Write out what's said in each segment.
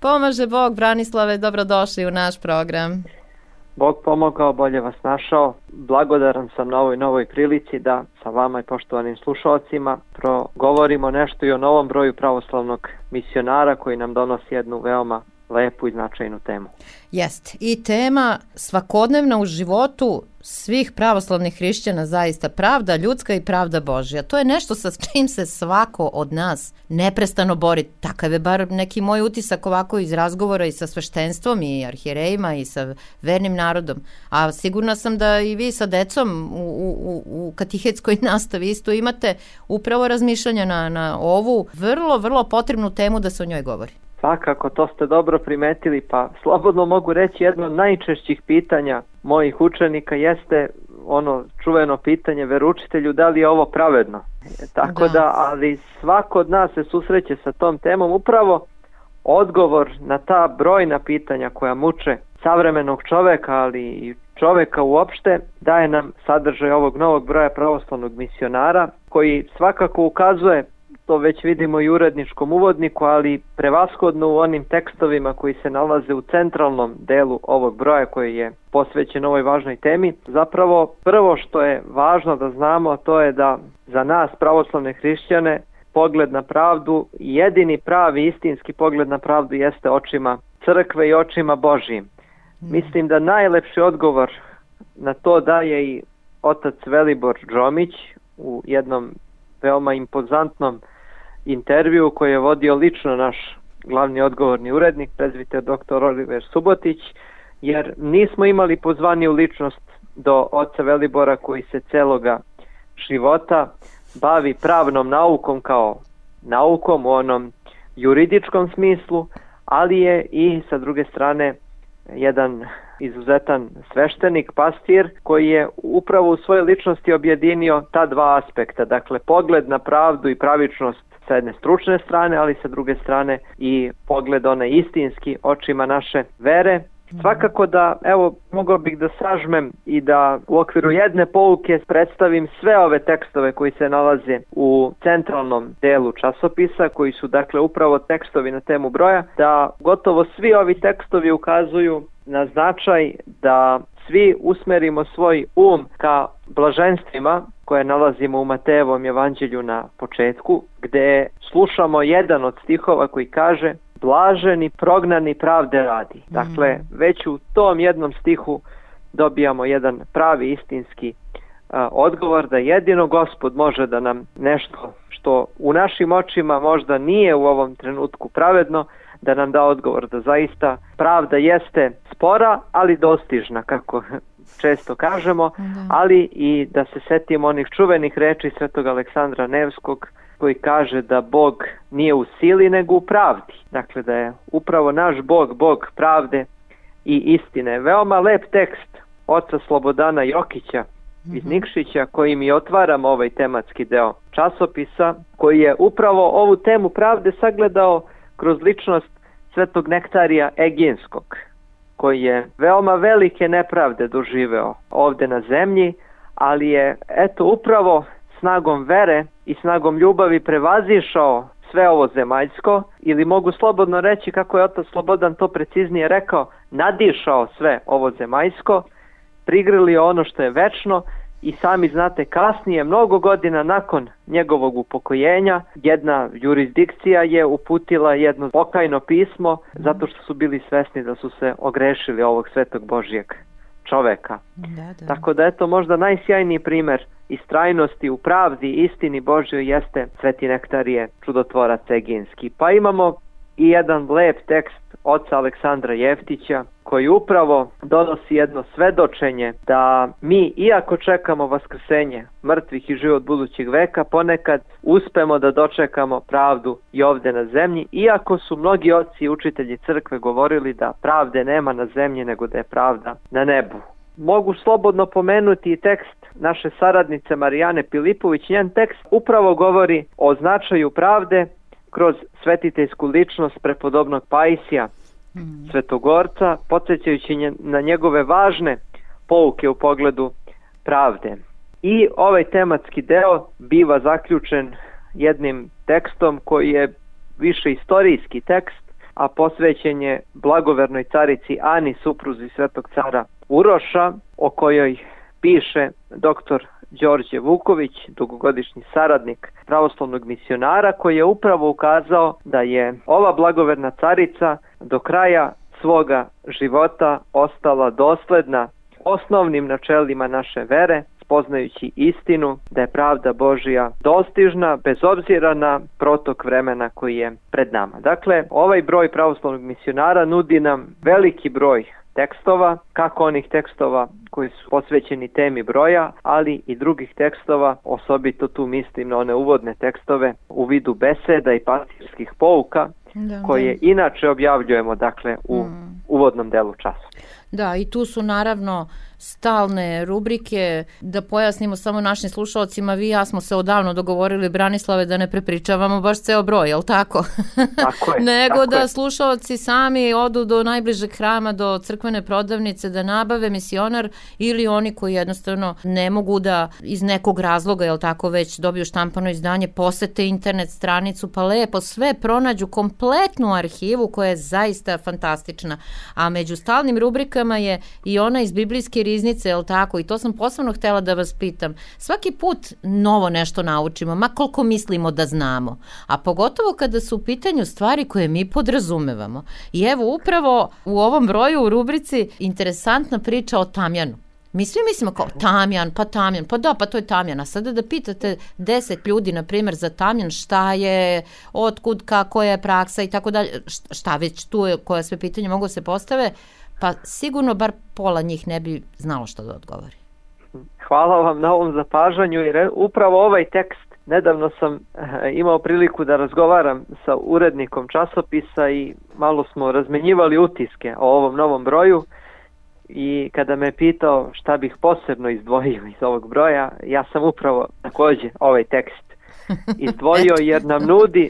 Pomaže Bog, Branislave, dobrodošli u naš program. Bog pomogao, bolje vas našao. Blagodaran sam na ovoj novoj prilici da sa vama i poštovanim slušalcima progovorimo nešto i o novom broju pravoslavnog misionara koji nam donosi jednu veoma lepu i značajnu temu. Jest. I tema svakodnevna u životu svih pravoslavnih hrišćana, zaista pravda ljudska i pravda Božja. To je nešto sa čim se svako od nas neprestano bori. Takav je bar neki moj utisak ovako iz razgovora i sa sveštenstvom i arhijerejima i sa vernim narodom. A sigurna sam da i vi sa decom u katehetskoj nastavi isto imate upravo razmišljanja na ovu vrlo potrebnu temu da se o njoj govori. Svakako, to ste dobro primetili, pa slobodno mogu reći jedno od najčešćih pitanja mojih učenika jeste ono čuveno pitanje veroučitelju, da li je ovo pravedno. Tako da, ali svako od nas se susreće sa tom temom. Upravo odgovor na ta brojna pitanja koja muče savremenog čoveka, ali i čoveka uopšte, daje nam sadržaj ovog novog broja pravoslavnog misionara, koji svakako ukazuje, to već vidimo i u uredničkom uvodniku, ali prevashodno u onim tekstovima koji se nalaze u centralnom delu ovog broja koji je posvećen ovoj važnoj temi. Zapravo prvo što je važno da znamo, to je da za nas pravoslavne hrišćane pogled na pravdu, jedini pravi istinski pogled na pravdu jeste očima crkve i očima Božijim. Mislim da najlepši odgovor na to daje i otac Velibor Džomić u jednom veoma impozantnom intervju koji je vodio lično naš glavni odgovorni urednik, prezbiter dr. Oliver Subotić, jer nismo imali pozvaniju ličnost do oca Velibora koji se celoga života bavi pravnom naukom kao naukom u onom juridičkom smislu, ali je i sa druge strane jedan izuzetan sveštenik, pastir, koji je upravo u svojoj ličnosti objedinio ta dva aspekta, dakle pogled na pravdu i pravičnost sa jedne stručne strane, ali sa druge strane i pogled onaj istinski očima naše vere. Svakako da, evo, mogao bih da sažmem i da u okviru jedne pouke predstavim sve ove tekstove koji se nalaze u centralnom delu časopisa, koji su dakle upravo tekstovi na temu broja, da gotovo svi ovi tekstovi ukazuju na značaj da svi usmerimo svoj ka blaženstvima koje nalazimo u Matejevom evanđelju na početku, gde slušamo jedan od stihova koji kaže: blaženi prognani pravde radi. Dakle, već u tom jednom stihu dobijamo jedan pravi istinski odgovor da jedino Gospod može da nam nešto što u našim očima možda nije u ovom trenutku pravedno, da nam da odgovor da zaista pravda jeste spora, ali dostižna, kako često kažemo, ali i da se setimo onih čuvenih reči svetog Aleksandra Nevskog, koji kaže da Bog nije u sili nego u pravdi. Dakle, da je upravo naš Bog, Bog pravde i istine. Veoma lep tekst oca Slobodana Jokića iz Nikšića, koji mi otvaramo ovaj tematski deo časopisa, koji je upravo ovu temu pravde sagledao kroz ličnost svetog Nektarija Eginskog, koji je veoma velike nepravde doživeo ovde na zemlji, ali je upravo snagom vere i snagom ljubavi prevazišao sve ovo zemaljsko, ili mogu slobodno reći, kako je otac Slobodan to preciznije rekao, nadišao sve ovo zemaljsko, prigrlio ono što je večno. I sami znate, kasnije, mnogo godina nakon njegovog upokojenja, jedna jurisdikcija je uputila jedno pokajno pismo zato što su bili svesni da su se ogrešili ovog svetog Božijeg čoveka. Tako da možda najsjajniji primer istrajnosti u pravdi i istini Božjoj jeste sveti Nektarije, čudotvorac Eginski. Pa imamo i jedan lep tekst oca Aleksandra Jeftića, koji upravo donosi jedno svedočenje da mi, iako čekamo vaskrsenje mrtvih i život budućeg veka, ponekad uspemo da dočekamo pravdu i ovde na zemlji, iako su mnogi oci i učitelji crkve govorili da pravde nema na zemlji nego da je pravda na nebu. Mogu slobodno pomenuti i tekst naše saradnice Marijane Pilipović. Njen tekst upravo govori o značaju pravde kroz svetiteljsku ličnost prepodobnog Paisija, Svetogorca, podsjećajući na njegove važne pouke u pogledu pravde. I ovaj tematski deo biva zaključen jednim tekstom koji je više istorijski tekst, a posvećen je blagovernoj carici Ani, supruzi svetog cara Uroša, o kojoj piše dr. Đorđe Vuković, dugogodišnji saradnik pravoslavnog misionara, koji je upravo ukazao da je ova blagoverna carica do kraja svoga života ostala dosledna osnovnim načelima naše vere, spoznajući istinu da je pravda Božja dostižna bez obzira na protok vremena koji je pred nama. Dakle, ovaj broj pravoslavnog misionara nudi nam veliki broj tekstova, kako onih tekstova koji su posvećeni temi broja, ali i drugih tekstova, osobito tu mislim na one uvodne tekstove u vidu beseda i pastirskih pouka, koje inače objavljujemo dakle u uvodnom delu časa. Da, i tu su naravno stalne rubrike. Da pojasnimo samo našim slušalcima, vi i ja smo se odavno dogovorili, Branislave, da ne prepričavamo baš ceo broj, jel tako? Tako je. Nego tako da je. slušalci sami odu do najbližeg hrama, do crkvene prodavnice, da nabave misionar, ili oni koji jednostavno ne mogu da iz nekog razloga, jel tako, već dobiju štampano izdanje, posete internet stranicu, pa lepo sve pronađu, kompletnu arhivu koja je zaista fantastična. A među stalnim rubrikama je i ona iz biblijske riznice, jel tako? I to sam posebno htjela da vas pitam. Svaki put novo nešto naučimo, ma koliko mislimo da znamo. A pogotovo kada su u pitanju stvari koje mi podrazumevamo. I evo upravo u ovom broju u rubrici interesantna priča o tamjanu. Mi svi mislimo kao tamjan, pa da, pa to je tamjan. A sada da pitate 10 ljudi, na primjer, za tamjan, šta je, otkud, kako je praksa i tako dalje, šta već tu je, koja sve pitanje mogu se postave, pa sigurno bar pola njih ne bi znalo što da odgovori. Hvala vam na ovom zapažanju, jer upravo ovaj tekst, nedavno sam imao priliku da razgovaram sa urednikom časopisa i malo smo razmenjivali utiske o ovom novom broju, i kada me pitao šta bih posebno izdvojio iz ovog broja, ja sam upravo također ovaj tekst izdvojio, jer nam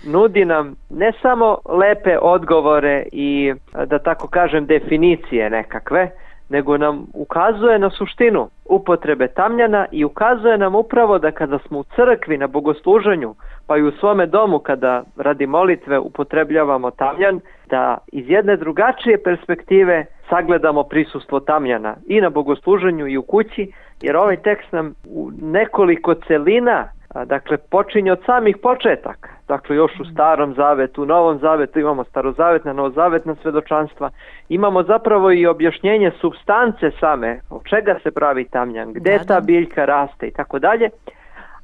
nudi nam ne samo lepe odgovore i, da tako kažem, definicije nekakve, nego nam ukazuje na suštinu upotrebe tamjana i ukazuje nam upravo da kada smo u crkvi na bogosluženju, pa i u svome domu kada radi molitve upotrebljavamo tamjan, da iz jedne drugačije perspektive sagledamo prisustvo tamjana i na bogosluženju i u kući, jer ovaj tekst nam u nekoliko celina, dakle, počinje od samih početaka. Dakle, još u Starom zavetu, u Novom zavetu imamo starozavetna, novozavetna svedočanstva. Imamo zapravo i objašnjenje supstance same, od čega se pravi tamjan, gde ta biljka raste i tako dalje.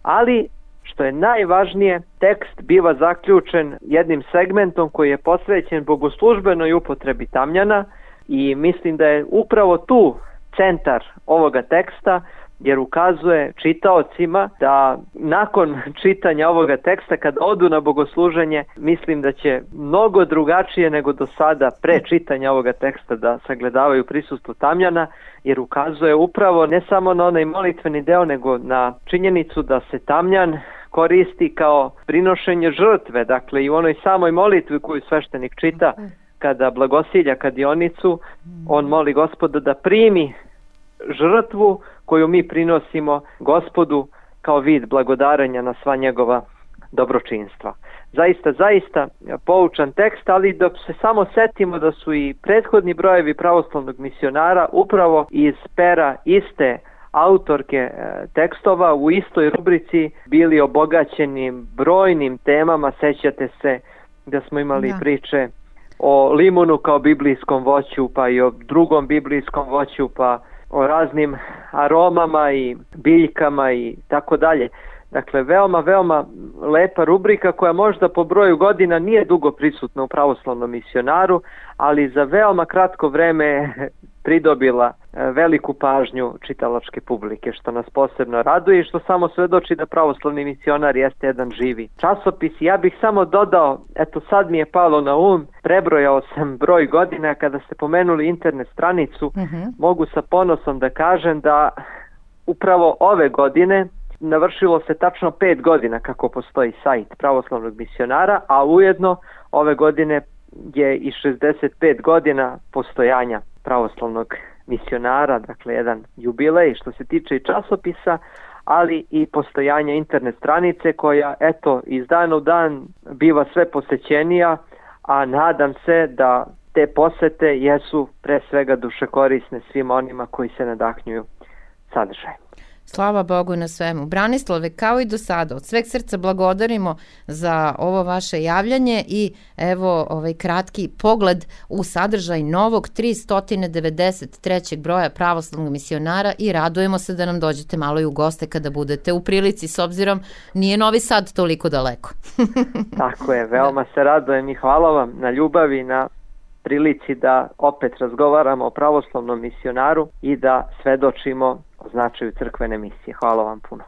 Ali, što je najvažnije, tekst biva zaključen jednim segmentom koji je posvećen bogoslužbenoj upotrebi tamjana, i mislim da je upravo tu centar ovoga teksta, jer ukazuje čitaocima da nakon čitanja ovoga teksta, kad odu na bogosluženje, mislim da će mnogo drugačije nego do sada pre čitanja ovoga teksta da sagledavaju prisustvo tamjana, jer ukazuje upravo ne samo na onaj molitveni deo, nego na činjenicu da se tamjan koristi kao prinošenje žrtve, dakle i u onoj samoj molitvi koju sveštenik čita kada blagosilja kadionicu, on moli Gospoda da primi žrtvu koju mi prinosimo Gospodu kao vid blagodarenja na sva njegova dobročinstva. Zaista poučan tekst, ali da se samo setimo da su i prethodni brojevi pravoslavnog misionara upravo iz pera iste autorke tekstova u istoj rubrici bili obogaćeni brojnim temama. Sećate se da smo imali priče o limunu kao biblijskom voću, pa i o drugom biblijskom voću, pa o raznim aromama i biljkama i tako dalje. Dakle, veoma lepa rubrika koja možda po broju godina nije dugo prisutna u pravoslavnom misionaru, ali za veoma kratko vreme pridobila veliku pažnju čitalačke publike, što nas posebno raduje i što samo svedoči da pravoslavni misionar jeste jedan živi časopis. Ja bih samo dodao, eto sad mi je palo na um, prebrojao sam broj godina. Kada ste pomenuli internet stranicu, mogu sa ponosom da kažem da upravo ove godine navršilo se tačno 5 godina kako postoji sajt pravoslavnog misionara, a ujedno ove godine je i 65 godina postojanja pravoslavnog misionara, dakle jedan jubilej što se tiče i časopisa, ali i postojanja internet stranice koja, eto, iz dana u dan biva sve posećenija, a nadam se da te posete jesu pre svega dušekorisne svim onima koji se nadahnjuju sadržajem. Slava Bogu na svemu. Branislave, kao i do sada, od sveg srca blagodarimo za ovo vaše javljanje i evo ovaj kratki pogled u sadržaj novog 393. broja Pravoslavnog misionara i radujemo se da nam dođete malo i u goste kada budete u prilici, s obzirom nije Novi Sad toliko daleko. Tako je, veoma se radujem i hvala vam na ljubavi, na prilici da opet razgovaramo o pravoslavnom misionaru i da svedočimo o značaju crkvene misije. Hvala vam puno.